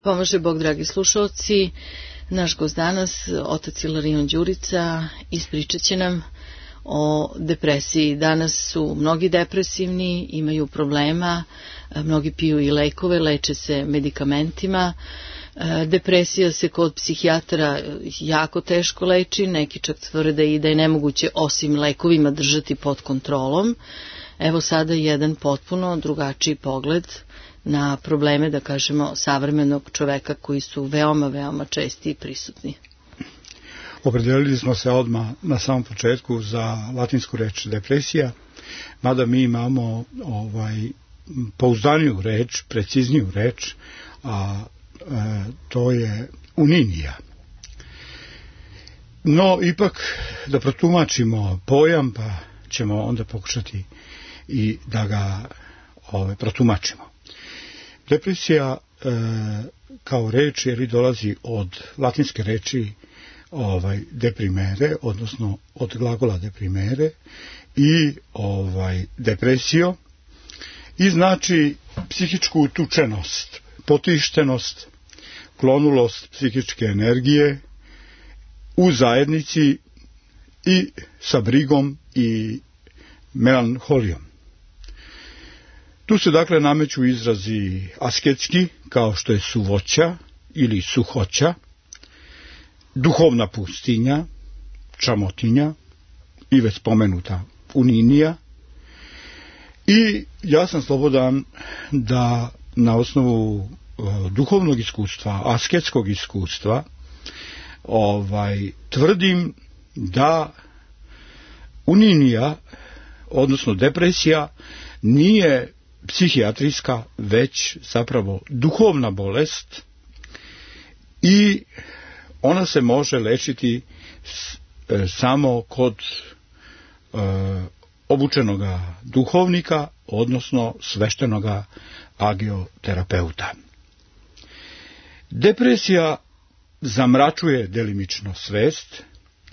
Pomaže Bog, dragi slušalci. Naš gost danas, otac Ilarion Đurica, ispričat će nam o depresiji. Danas su mnogi depresivni, imaju problema, mnogi piju i lekove, leče se medikamentima. Depresija se kod psihijatra jako teško leči, neki čak tvrde i da je nemoguće osim lekovima držati pod kontrolom. Evo sada jedan potpuno drugačiji pogled na probleme, da kažemo, savremenog čoveka koji su veoma, veoma česti i prisutni. Opredelili smo se odmah na samom početku za latinsku reč depresija, mada mi imamo pouzdaniju reč, precizniju reč, a to je uninija. No, ipak da protumačimo pojam, pa ćemo onda pokušati i da ga protumačimo. Depresija kao reč dolazi od latinske reči deprimere, odnosno od glagola deprimere i depresio, i znači psihičku utučenost, potištenost, klonulost psihičke energije u zajednici i sa brigom i melanholijom. Tu se dakle nameću izrazi asketski, kao što je suvoća ili suhoća, duhovna pustinja, čamotinja i već spomenuta uninija. I ja sam slobodan da na osnovu duhovnog iskustva, asketskog iskustva, tvrdim da uninija, odnosno depresija, nije psihijatrijska, već zapravo duhovna bolest i ona se može lečiti samo kod obučenoga duhovnika, odnosno sveštenoga agioterapeuta. Depresija zamračuje delimično svest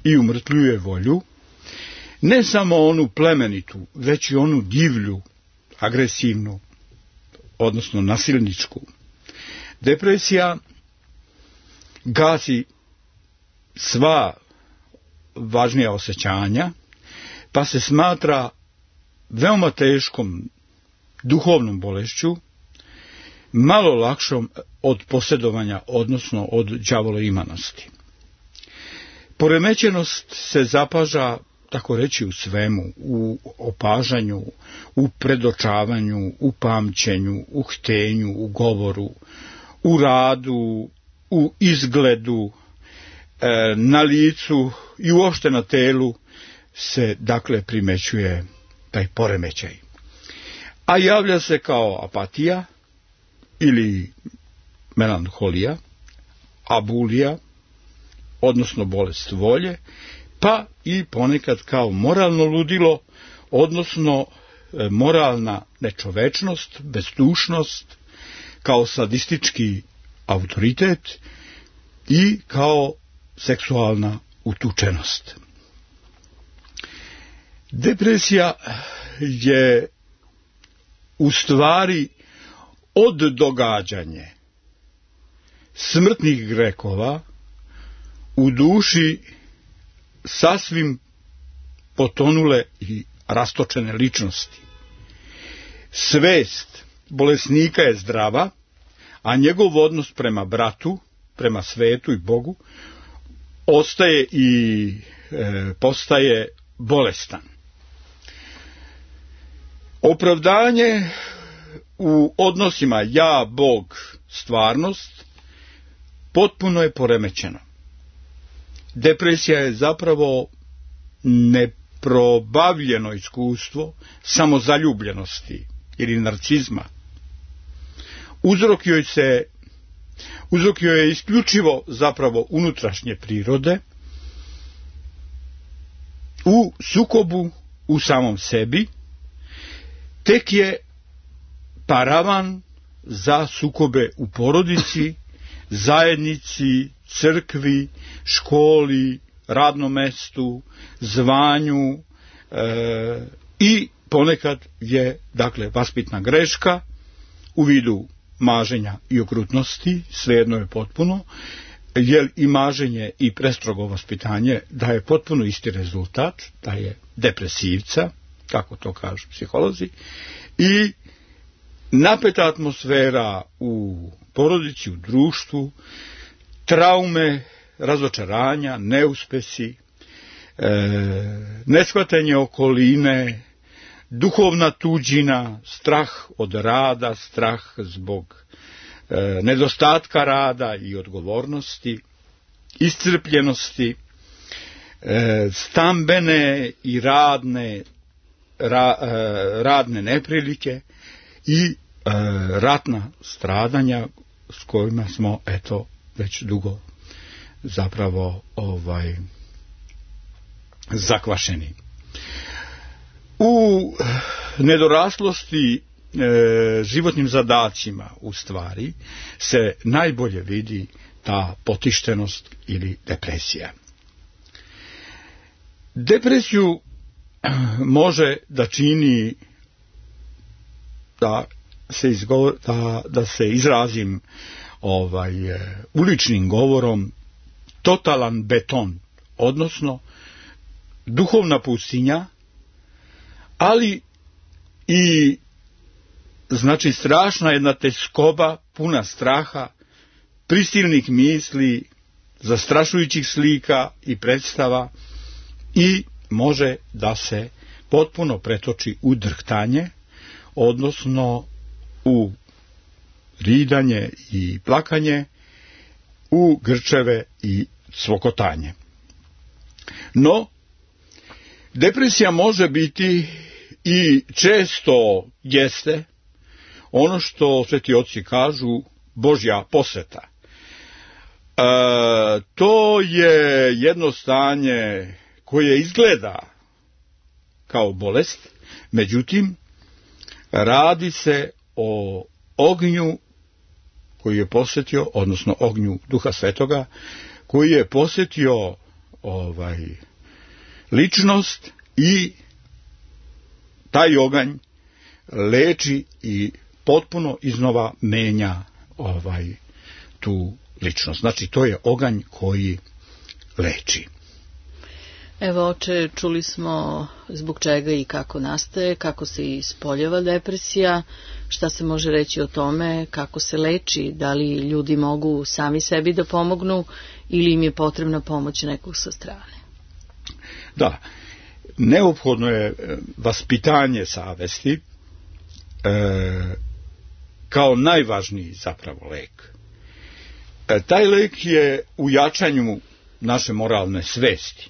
i umrtljuje volju, ne samo onu plemenitu, već i onu divlju, agresivnu, odnosno nasilničku. Depresija gasi sva važnija osjećanja, pa se smatra veoma teškom duhovnom bolešću, malo lakšom od posjedovanja, odnosno od đavoloimanosti. Poremećenost se zapaža, tako reći, u svemu, u opažanju, u predočavanju, u pamćenju, u htenju, u govoru, u radu, u izgledu, na licu i uopšte na telu se dakle primećuje taj poremećaj. A javlja se kao apatija ili melanholija, abulija, odnosno bolest volje, pa i ponekad kao moralno ludilo, odnosno moralna nečovečnost, bezdušnost, kao sadistički autoritet i kao seksualna utučenost. Depresija je u stvari oddogađanje smrtnih grehova u duši sasvim potonule i rastočene ličnosti. Svest bolesnika je zdrava, a njegov odnos prema bratu, prema svetu i Bogu ostaje i postaje bolestan. Opravdanje u odnosima ja, Bog, stvarnost potpuno je poremećeno. Depresija je zapravo neprobavljeno iskustvo samozaljubljenosti ili narcizma. Uzrok joj je isključivo zapravo unutrašnje prirode, u sukobu u samom sebi, tek je paravan za sukobe u porodici, zajednici, crkvi, školi, radnom mestu, zvanju i ponekad je, dakle, vaspitna greška u vidu maženja i okrutnosti, svejedno je potpuno, jer i maženje i prestrogo vaspitanje daje potpuno isti rezultat, da je depresivca, kako to kažu psiholozi, i napeta atmosfera u porodici, u društvu, traume, razočaranja, neuspesi, neshvatanje okoline, duhovna tuđina, strah od rada, strah zbog nedostatka rada i odgovornosti, iscrpljenosti, stambene i radne neprilike i ratna stradanja s kojima smo već dugo zapravo zakvašeni. U nedoraslosti životnim zadacima u stvari se najbolje vidi ta potištenost ili depresija. Depresiju može da čini, da se izrazim uličnim govorom, totalan beton, odnosno duhovna pustinja, ali i znači strašna jedna tezgoba puna straha, prisilnih misli, zastrašujućih slika i predstava, i može da se potpuno pretoči u drhtanje, odnosno u ridanje i plakanje, u grčeve i cvokotanje. No, depresija može biti i često jeste ono što sveti oci kažu Božja posveta. To je jedno stanje koje izgleda kao bolest, međutim radi se o ognju koji je posjetio, odnosno ognju Duha Svetoga, koji je posjetio ličnost, i taj oganj leči i potpuno iznova menja tu ličnost. Znači, to je oganj koji leči. Evo, oče, čuli smo zbog čega i kako nastaje, kako se ispoljava depresija, šta se može reći o tome, kako se leči, da li ljudi mogu sami sebi da pomognu ili im je potrebna pomoć nekog sa strane. Da, neophodno je vaspitanje savesti kao najvažniji zapravo lek. Taj lek je u jačanju naše moralne svesti.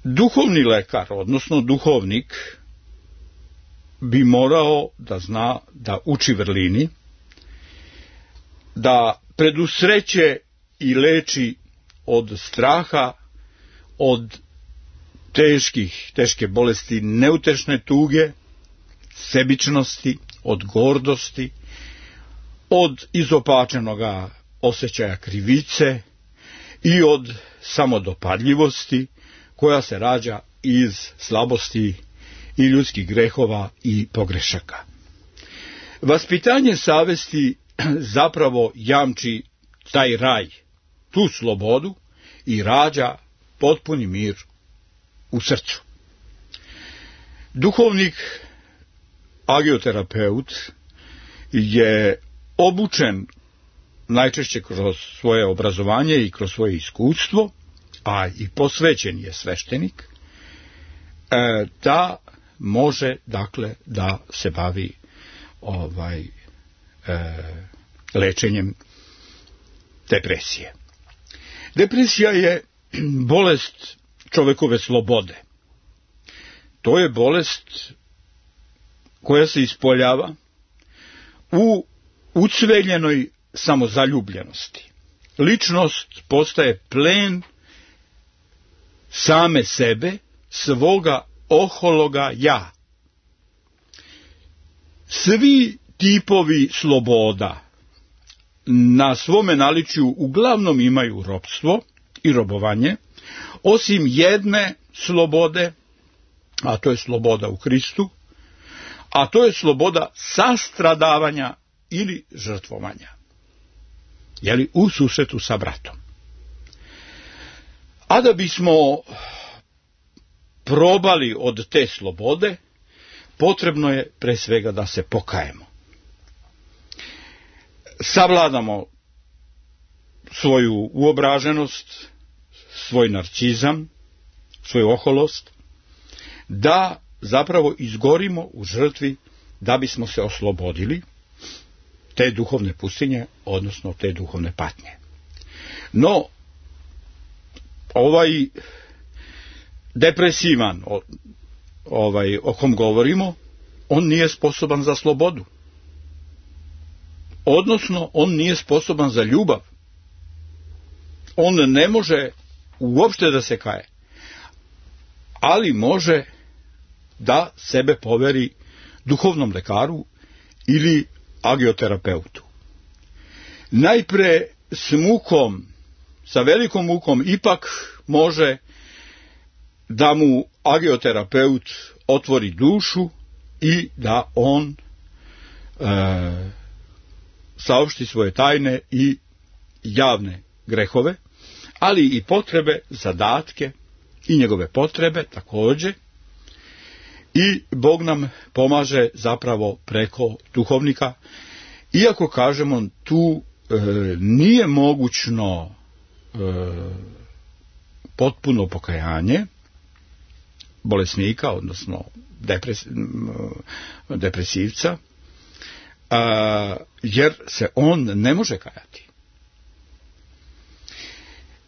Duhovni lekar, odnosno duhovnik, bi morao da zna da uči vrlini, da predusreće i leči od straha, od teške bolesti, neutešne tuge, sebičnosti, od gordosti, od izopačenoga osjećaja krivice i od samodopadljivosti koja se rađa iz slabosti i ljudskih grehova i pogrešaka. Vaspitanje savesti zapravo jamči taj raj, tu slobodu, i rađa potpuni mir u srcu. Duhovnik, agioterapeut, je obučen najčešće kroz svoje obrazovanje i kroz svoje iskustvo, a i posvećen je sveštenik, da može, dakle, da se bavi lečenjem depresije. Depresija je bolest čovekove slobode. To je bolest koja se ispoljava u ucveljenoj samozaljubljenosti. Ličnost postaje plen same sebe, svoga ohologa ja. Svi tipovi sloboda na svome naličju uglavnom imaju ropstvo i robovanje, osim jedne slobode, a to je sloboda u Hristu, a to je sloboda sastradavanja ili žrtvovanja, jeli, u susretu sa bratom. A da bismo probali od te slobode, potrebno je pre svega da se pokajemo. Savladamo svoju uobraženost, svoj narcizam, svoju oholost, da zapravo izgorimo u žrtvi da bismo se oslobodili te duhovne pustinje, odnosno te duhovne patnje. No, ovaj depresivan, o kom govorimo, on nije sposoban za slobodu. Odnosno, on nije sposoban za ljubav. On ne može uopšte da se kaje, ali može da sebe poveri duhovnom lekaru ili agioterapeutu. Najpre s mukom, sa velikom mukom, ipak može da mu agioterapeut otvori dušu i da on saopšti svoje tajne i javne grehove, ali i potrebe, zadatke i njegove potrebe također. I Bog nam pomaže zapravo preko duhovnika, iako kažemo tu nije mogućno potpuno pokajanje bolesnika, odnosno depresivca, jer se on ne može kajati.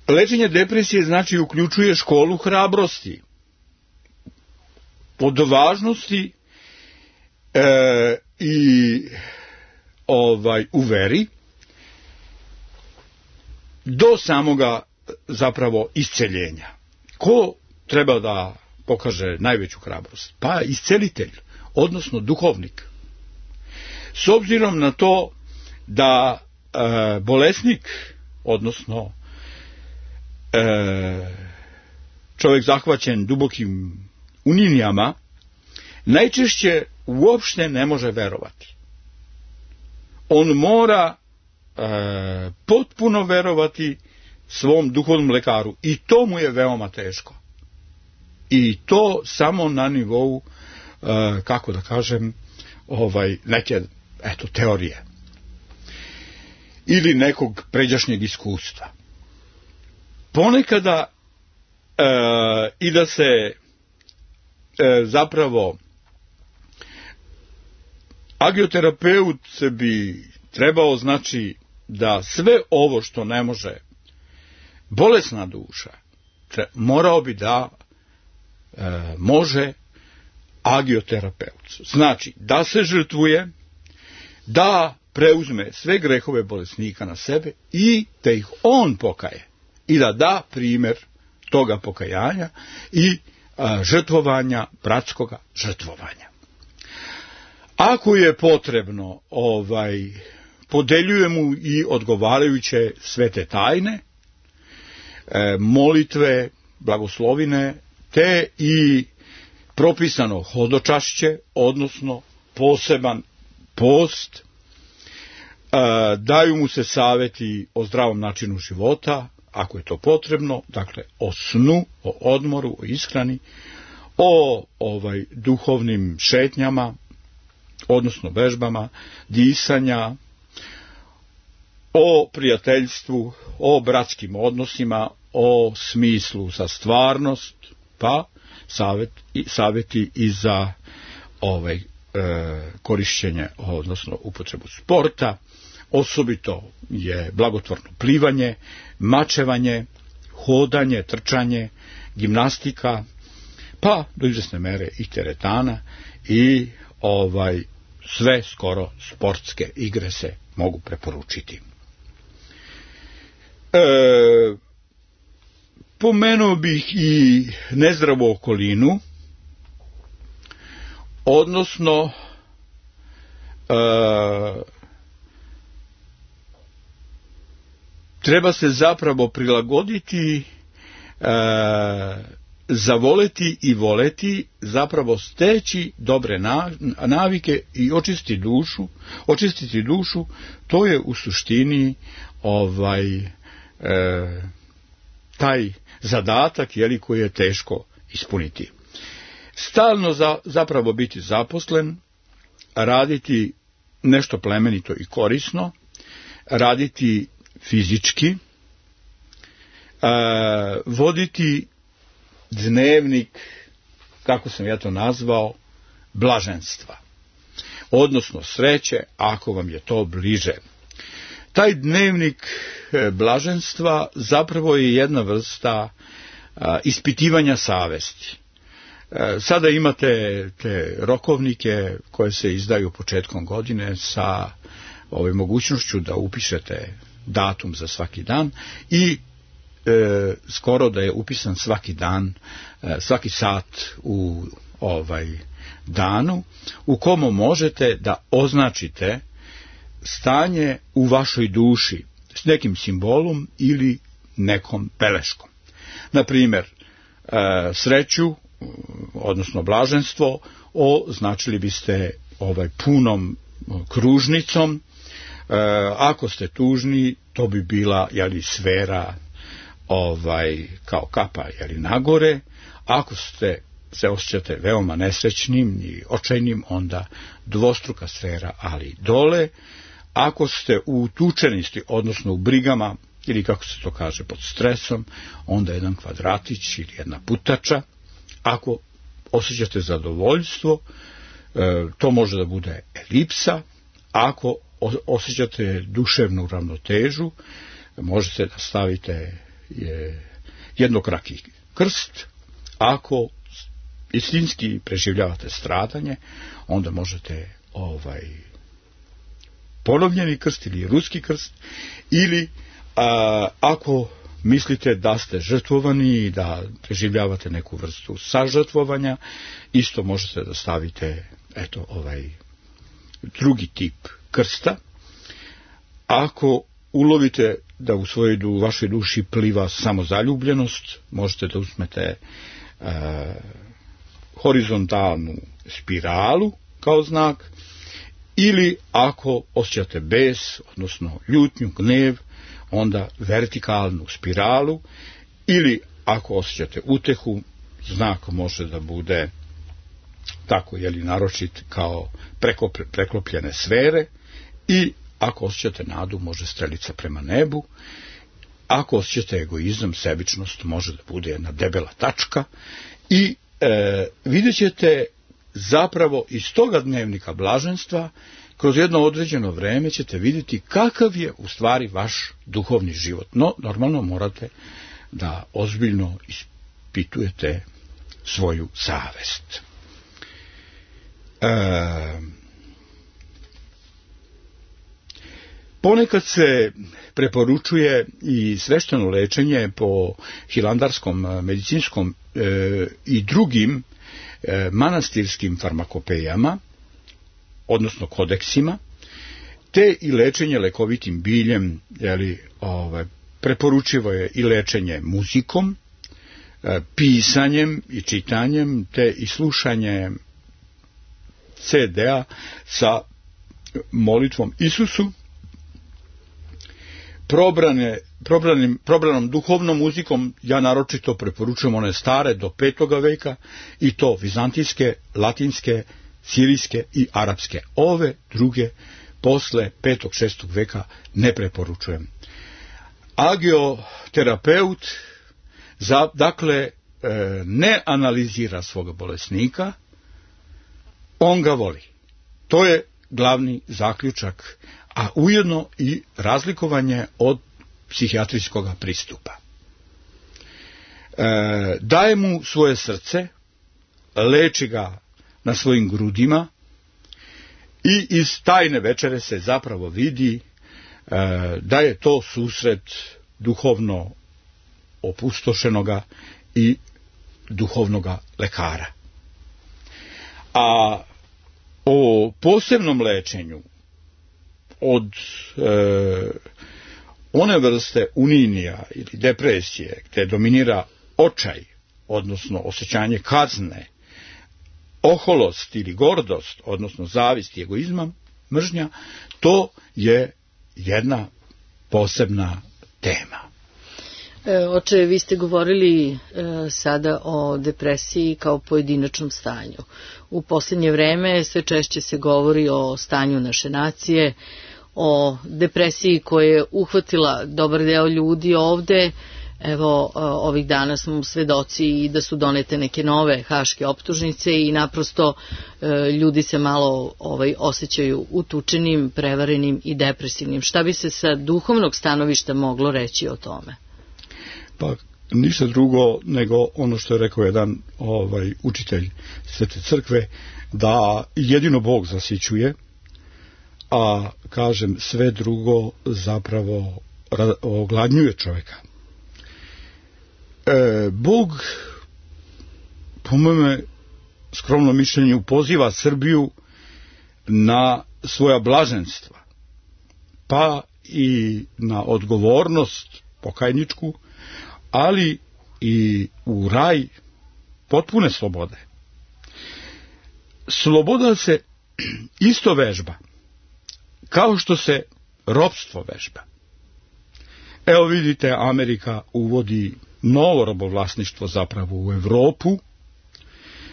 Lečenje depresije znači uključuje školu hrabrosti, od važnosti i u veri do samoga zapravo isceljenja. Ko treba da pokaže najveću hrabrost? Pa iscelitelj, odnosno duhovnik. S obzirom na to da bolesnik, odnosno čovjek zahvaćen dubokim uninjama, najčešće uopšte ne može verovati. On mora potpuno verovati svom duhovnom lekaru i to mu je veoma teško. I to samo na nivou, kako da kažem, neke teorije ili nekog pređašnjeg iskustva. Ponekada i da se zapravo agioterapeut bi trebao, znači, da sve ovo što ne može bolesna duša, morao bi da može agioterapeut. Znači, da se žrtvuje, da preuzme sve grehove bolesnika na sebe i da ih on pokaje i da da primjer toga pokajanja i žrtvovanja, bratskoga žrtvovanja. Ako je potrebno, podeljuje mu i odgovarajuće svete tajne, molitve, blagoslovine, te i propisano hodočašće, odnosno poseban post, daju mu se savjeti o zdravom načinu života, ako je to potrebno, dakle o snu, o odmoru, o ishrani, o duhovnim šetnjama, odnosno vežbama, disanja, o prijateljstvu, o bratskim odnosima, o smislu za stvarnost, pa savjeti i za korišćenje, odnosno upotrebu sporta. Osobito je blagotvorno plivanje, mačevanje, hodanje, trčanje, gimnastika, pa do izvesne mere i teretana i sve skoro sportske igre se mogu preporučiti. Pomenuo bih i nezdravu okolinu, odnosno treba se zapravo prilagoditi zavoleti i voleti, zapravo steći dobre navike i očistiti dušu, to je u suštini taj zadatak koji je teško ispuniti. Stalno zapravo biti zaposlen, raditi nešto plemenito i korisno, raditi fizički, voditi dnevnik, kako sam ja to nazvao, blaženstva, odnosno sreće, ako vam je to bliže. Taj dnevnik blaženstva zapravo je jedna vrsta ispitivanja savesti. Sada imate te rokovnike koje se izdaju početkom godine sa mogućnošću da upišete datum za svaki dan i skoro da je upisan svaki dan, svaki sat u danu, u komu možete da označite stanje u vašoj duši s nekim simbolom ili nekom beleškom. Na primjer, sreću, odnosno blaženstvo, označili biste punom kružnicom. Ako ste tužni, to bi bila sfera kao kapa nagore. Ako se osjećate veoma nesrećnim i očajnim, onda dvostruka sfera, ali dole. Ako ste u tučenosti, odnosno u brigama, ili kako se to kaže, pod stresom, onda jedan kvadratić ili jedna putača. Ako osjećate zadovoljstvo, to može da bude elipsa. Ako osjećate duševnu ravnotežu, možete da stavite jednokraki krst. Ako istinski preživljavate stradanje, onda možete ponovljeni krst ili ruski krst, ili ako mislite da ste žrtvovani i da preživljavate neku vrstu sažrtvovanja, isto možete da stavite drugi tip krsta. Ako ulovite da u vašoj duši pliva samozaljubljenost, možete da uzmete horizontalnu spiralu kao znak, ili ako osjećate bes, odnosno ljutnju, gnev, onda vertikalnu spiralu, ili ako osjećate utehu, znak može da bude tako, naročit kao preklopljene sfere, i ako osjećate nadu, može strelica prema nebu. Ako osjećate egoizam, sebičnost, može da bude jedna debela tačka. I vidjet ćete zapravo iz toga dnevnika blaženstva, kroz jedno određeno vreme ćete vidjeti kakav je u stvari vaš duhovni život. No, normalno morate da ozbiljno ispitujete svoju savest. Ponekad se preporučuje i svešteno lečenje po hilandarskom, medicinskom i drugim manastirskim farmakopejama, odnosno kodeksima, te i lečenje lekovitim biljem. Preporučivo je i lečenje muzikom, pisanjem i čitanjem, te i slušanjem CD-a sa molitvom Isusu, probranom duhovnom muzikom. Ja naročito preporučujem one stare do 5. veka, i to vizantijske, latinske, sirijske i arapske. Ove druge posle 5. 6. veka ne preporučujem. Agioterapeut dakle ne analizira svoga bolesnika, on ga voli. To je glavni zaključak, a ujedno i razlikovanje od psihijatrijskog pristupa. Daje mu svoje srce, leči ga na svojim grudima, i iz tajne večere se zapravo vidi da je to susret duhovno opustošenoga i duhovnoga lekara. A o posebnom lečenju od one vrste uninija ili depresije gdje dominira očaj, odnosno osjećanje kazne, oholost ili gordost, odnosno zavist i egoizam, mržnja, to je jedna posebna tema. Oče, vi ste govorili sada o depresiji kao pojedinačnom stanju. U posljednje vreme sve češće se govori o stanju naše nacije, o depresiji koja je uhvatila dobar deo ljudi ovde. Evo, ovih dana smo svedoci i da su donete neke nove haške optužnice i naprosto ljudi se malo osjećaju utučenim, prevarenim i depresivnim. Šta bi se sa duhovnog stanovišta moglo reći o tome? Pa ništa drugo nego ono što je rekao jedan učitelj Svete crkve, da jedino Bog zasićuje, a kažem sve drugo zapravo ogladnjuje čovjeka. Bog, po mome skromnom mišljenju, poziva Srbiju na svoja blaženstva, pa i na odgovornost pokajničku, ali i u raj potpune slobode. Sloboda se isto vežba, kao što se ropstvo vežba. Evo vidite, Amerika uvodi novo robovlasništvo zapravo u Evropu,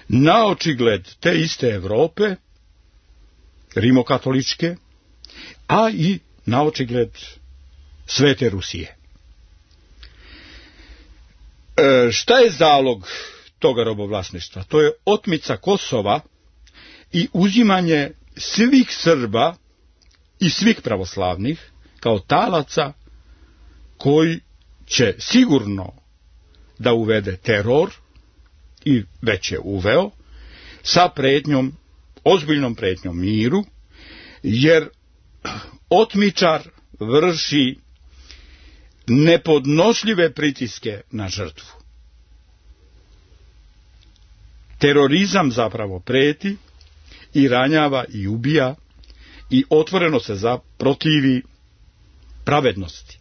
na očigled te iste Evrope, rimokatoličke, a i na očigled Svete Rusije. Šta je zalog toga robovlasništva? To je otmica Kosova i uzimanje svih Srba i svih pravoslavnih kao talaca koji će sigurno da uvede teror, i već je uveo, sa pretnjom, ozbiljnom pretnjom miru, jer otmičar vrši nepodnošljive pritiske na žrtvu. Terorizam zapravo preti i ranjava i ubija i otvoreno se protivi pravednosti.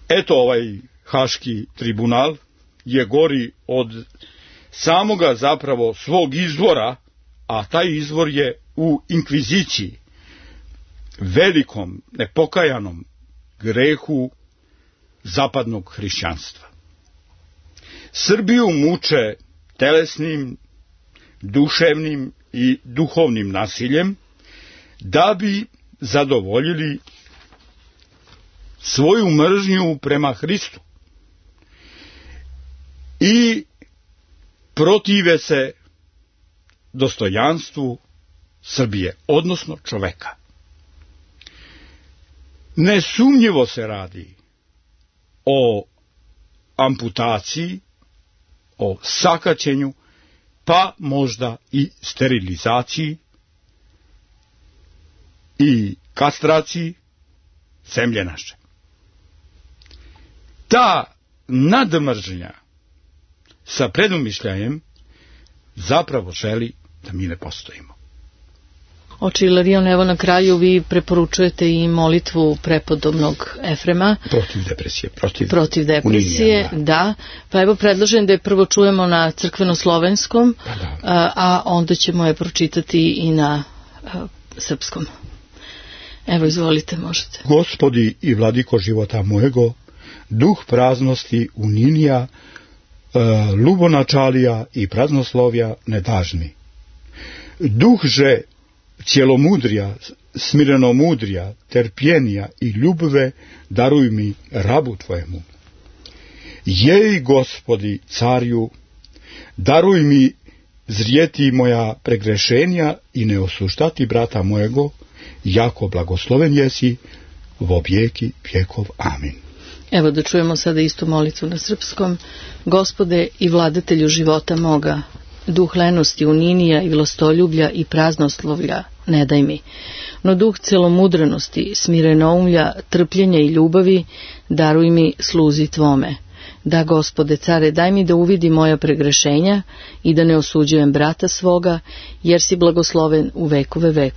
Eto, ovaj Haški tribunal je gori od samoga zapravo svog izvora, a taj izvor je u inkviziciji, velikom, nepokajanom grehu zapadnog hrišćanstva. Srbiju muče telesnim, duševnim i duhovnim nasiljem da bi zadovoljili svoju mržnju prema Hristu i protive se dostojanstvu Srbije, odnosno čoveka. Nesumnjivo se radi o amputaciji, o sakaćenju, pa možda i sterilizaciji i kastraciji zemlje naše. Ta nadmržnja sa predumišljajem zapravo želi da mi ne postojimo. Oče Ilarion, evo na kraju vi preporučujete i molitvu prepodobnog Efrema. Protiv depresije, da. Pa evo predlažem da je prvo čujemo na crkveno-slovenskom, a onda ćemo je pročitati i na srpskom. Evo, izvolite, možete. Gospodi i vladiko života mojego, duh praznosti uninija, lubonačalija i praznoslovja ne daž mi. Duh že cjelomudrija, smirenomudrija, terpjenija i ljubve daruj mi rabu tvojemu. Jej, Gospodi, carju, daruj mi zrijeti moja pregrešenja i ne osuštati brata mojego, jako blagosloven jesi, vo vijeki vjekov. Amin. Evo da čujemo sada istu molitvu na srpskom. Gospode i vladatelju života moga, duh lenosti, uninija i vlastoljublja i praznoslovlja ne daj mi, no duh celomudrenosti, smirenoumlja, trpljenja i ljubavi daruj mi sluzi tvome. Da, Gospode, care, daj mi da uvidi moja pregrešenja i da ne osuđujem brata svoga, jer si blagosloven u vekove vekova.